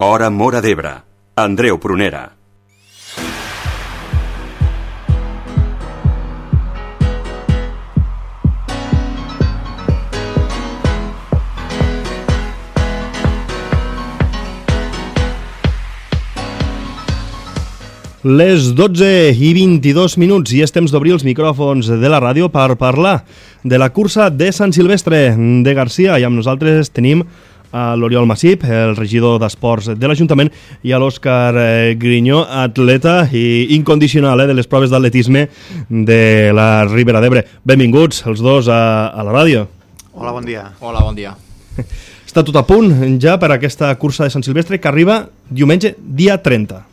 Hora Móra d'Ebre. Andreu Prunera. Les 12:22 i és temps d'obrir els micròfons de la ràdio per parlar de la cursa de Sant Silvestre de Garcia. I amb nosaltres tenim a l'Oriol Massip, el regidor d'Esports de l'Ajuntament, i a l'Òscar Grinyó, atleta i incondicional de les proves d'atletisme de la Ribera d'Ebre. Benvinguts els dos a la ràdio. Hola, bon dia. Hola, bon dia. Està tot a punt ja per aquesta cursa de Sant Silvestre que arriba diumenge, dia 30.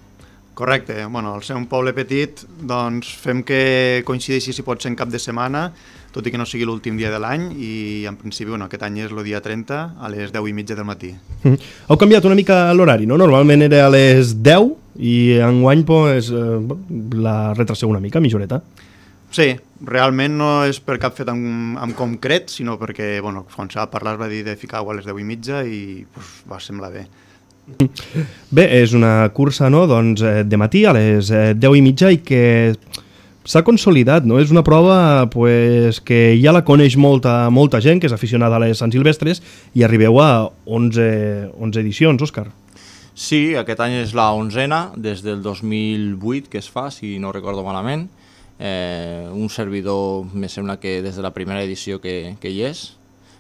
Correcte. Bueno, al ser un poble petit, doncs fem que coincideixi si pot ser en cap de setmana, tot i que no sigui l'últim dia de l'any, i en principi aquest any és el dia 30 a les 10:30 del matí. Heu canviat una mica l'horari, no? Normalment era a les 10 i enguany la retraseu una mica, mitjoreta. Sí, realment no és per cap fet en concret, sinó perquè, quan s'ha de parlar es va dir de ficar-ho a les 10:30 i va semblar bé. Bé, és una cursa, no? Doncs, de matí a les 10:30 i que s'ha consolidat, no? És una prova que ja la coneix molta gent que és aficionada a les Sant Silvestres i arribeu a 11 edicions, Òscar. Sí, aquest any és la 11a, des del 2008 que es fa, si no recordo malament. Un servidor, me sembla que des de la primera edició que hi és,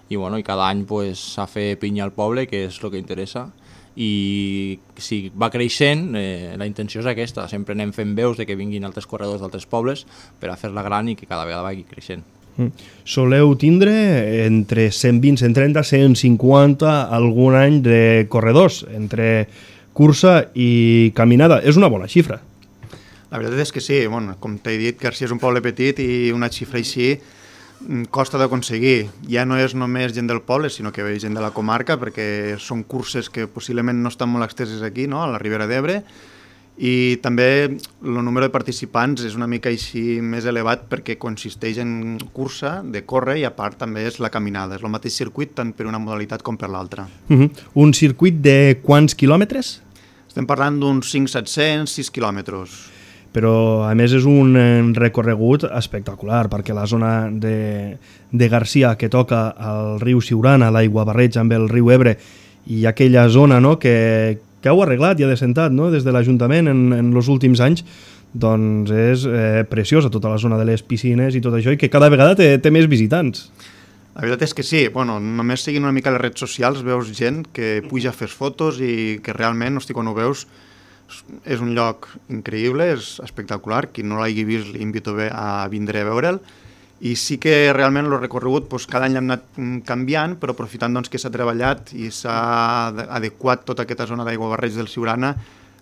i cada any s'ha fet pinya al poble, que és el que interessa. I si va creixent, la intenció és aquesta, sempre anem fent veus de que vinguin altres corredors d'altres pobles per a fer-la gran i que cada vegada vagi creixent. Soleu tindre entre 120, 130, 150 algun any de corredors entre cursa i caminada. És una bona xifra. La veritat és que sí, com t'he dit, Garcia és un poble petit i una xifra així costa d'aconseguir. Ja no és només gent del poble, sinó que ve gent de la comarca, perquè són curses que possiblement no estan molt exteses aquí, no?, a la Ribera d'Ebre, i també el número de participants és una mica així més elevat perquè consisteix en cursa, de córrer, i a part també és la caminada. És el mateix circuit tant per una modalitat com per l'altra. Un circuit de quants quilòmetres? Estem parlant d'uns 500-700, 6 quilòmetres. Però a més és un recorregut espectacular, perquè la zona de Garcia que toca el riu Siurana, l'aigua barreja amb el riu Ebre, i aquella zona, no?, que heu arreglat i adecentat, no?, des de l'Ajuntament en els últims anys, doncs és preciosa tota la zona de les piscines i tot això, i que cada vegada té més visitants. La veritat és que sí, només seguint una mica les redes socials veus gent que puja a fer fotos i que realment, quan ho veus, és un lloc increïble, és espectacular. Qui no l'hagi vist l'invito a vindre a veure'l. I sí que realment el recorregut cada any l'hem anat canviant, però aprofitant que s'ha treballat i s'ha adequat tota aquesta zona d'aigua barreig del Siurana,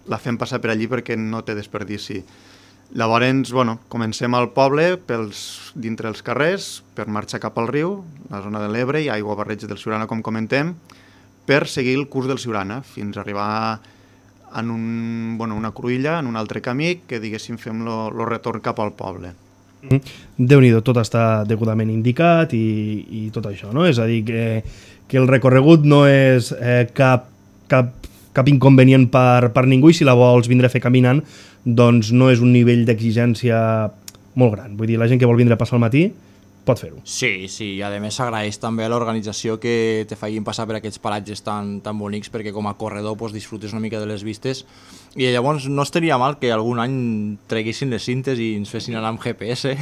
la fem passar per allí perquè no té desperdici. Llavors, comencem al poble, dintre els carrers, per marxar cap al riu, la zona de l'Ebre i aigua barreig del Siurana, com comentem, per seguir el curs del Siurana, fins a arribar en una cruïlla, en un altre camí, que diguéssim fem el retorn cap al poble. Déu-n'hi-do, tot està degudament indicat i tot això, no? És a dir, que el recorregut no és cap inconvenient per ningú, i si la vols vindre a fer caminant, doncs no és un nivell d'exigència molt gran. Vull dir, la gent que vol vindre a passar el matí pot fer-ho. Sí, i a més s'agraeix també a l'organització que te facin passar per aquests paratges tan bonics, perquè com a corredor disfrutes una mica de les vistes, i llavors no estaria mal que algun any treguessin les cintes i ens fessin anar amb GPS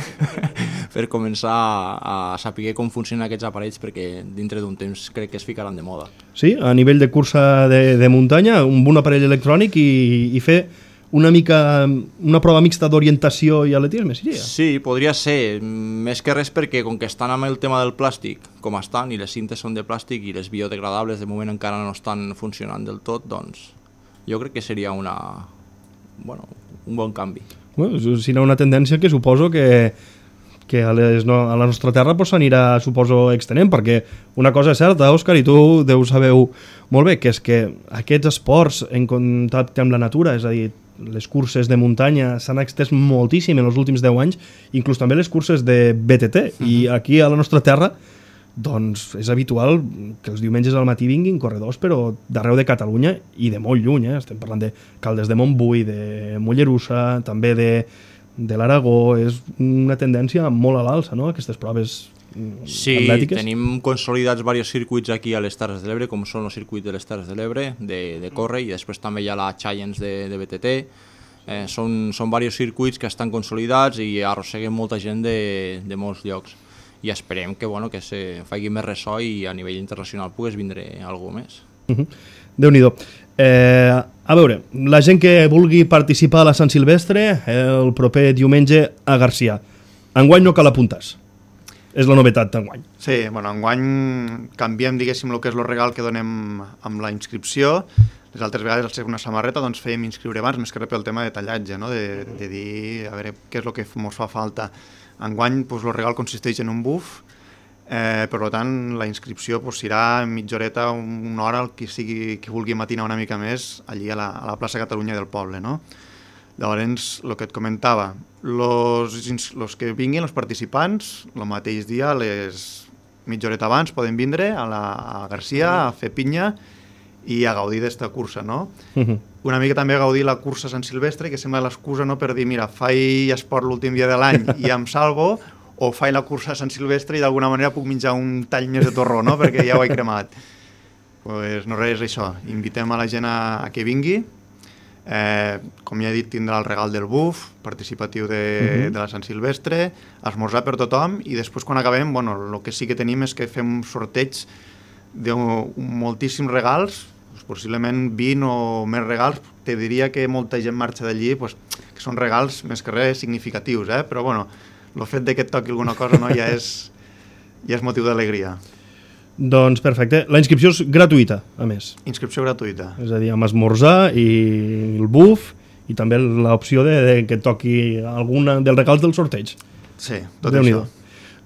per començar a saber com funcionen aquests aparells, perquè dintre d'un temps crec que es ficaran de moda. Sí, a nivell de cursa de muntanya, un bon aparell electrònic i fer una prova mixta d'orientació i atletisme, seria? Sí, podria ser, més que res perquè com que estan amb el tema del plàstic com estan, i les cintes són de plàstic i les biodegradables de moment encara no estan funcionant del tot, doncs jo crec que seria un bon canvi. Serà una tendència que suposo que a la nostra terra s'anirà, suposo, extenent, perquè una cosa és certa, Òscar, i tu deus saber molt bé, que és que aquests esports en contacte amb la natura, és a dir, les curses de muntanya s'han extès moltíssim en els últims 10 anys, inclús també les curses de BTT, i aquí a la nostra terra doncs és habitual que els diumenges al matí vinguin corredors, però d'arreu de Catalunya i de molt lluny, estem parlant de Caldes de Montbui, de Mollerussa, també de l'Aragó. És una tendència molt a l'alça, no?, aquestes proves atlètiques. Sí, tenim consolidats diversos circuits aquí a les Terres de l'Ebre, com són el circuit de les Terres de l'Ebre, de córrer, i després també hi ha la Challenge de BTT. Són diversos circuits que estan consolidats i arrosseguen molta gent de molts llocs. I esperem que se faci més ressò i a nivell internacional pogués vindre algú més. Déu-n'hi-do. A veure, la gent que vulgui participar a la Sant Silvestre el proper diumenge a Garcia, enguany no cal apuntar-se. És la novetat d'enguany. Sí, enguany canviem, diguéssim, el que és el regal que donem amb la inscripció. Les altres vegades, al ser una samarreta, doncs fèiem inscriure abans, més que res pel tema de tallatge, no?, de dir, a veure, què és el que ens fa falta. Enguany, el regal consisteix en un buf, per tant, la inscripció serà mitja horeta, una hora, el que vulgui matinar una mica més, allí a la plaça Catalunya del poble, no? Llavors, el que et comentava, els que vinguin, els participants, el mateix dia, mitja horeta abans, poden vindre a Garcia a fer pinya i a gaudir d'esta cursa, no? Una mica també a gaudir la cursa Sant Silvestre, que sembla l'excusa, no?, per dir, mira, faig esport l'últim dia de l'any i em salvo, o faig la cursa Sant Silvestre i d'alguna manera puc menjar un tall més de torró, no?, perquè ja ho he cremat. Pues no res, això. Invitem a la gent a que vingui. Com ja he dit, tindrà el regal del buf participatiu de la Sant Silvestre, esmorzar per tothom, i després quan acabem, el que sí que tenim és que fem un sorteig de moltíssims regals, possiblement 20 o més regals. Te diria que molta gent marxa d'allí, que són regals més que res significatius, però el fet que et toqui alguna cosa ja és motiu d'alegria. Doncs perfecte. La inscripció és gratuïta, a més. Inscripció gratuïta. És a dir, amb esmorzar i el buf, i també l'opció que et toqui algun dels regals del sorteig. Sí, tot això.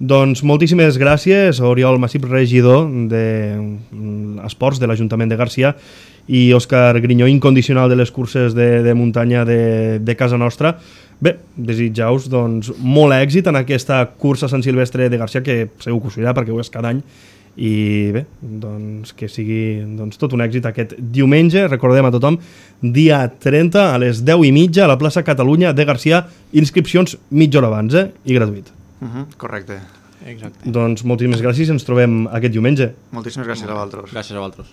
Doncs moltíssimes gràcies, Oriol Massip, regidor d'Esports de l'Ajuntament de Garcia, i Òscar Grinyó, incondicional de les curses de muntanya de casa nostra. Bé, desitjar-vos molt èxit en aquesta cursa Sant Silvestre de Garcia, que segur que us irà perquè ho és cada any, i bé, que sigui tot un èxit aquest diumenge. Recordem a tothom, dia 30 a les 10:30 a la plaça Catalunya de Garcia, inscripcions mitja hora abans, i gratuït. Correcte. Exacte. Doncs moltíssimes gràcies i ens trobem aquest diumenge. Moltíssimes gràcies a vosaltres. Gràcies a vosaltres.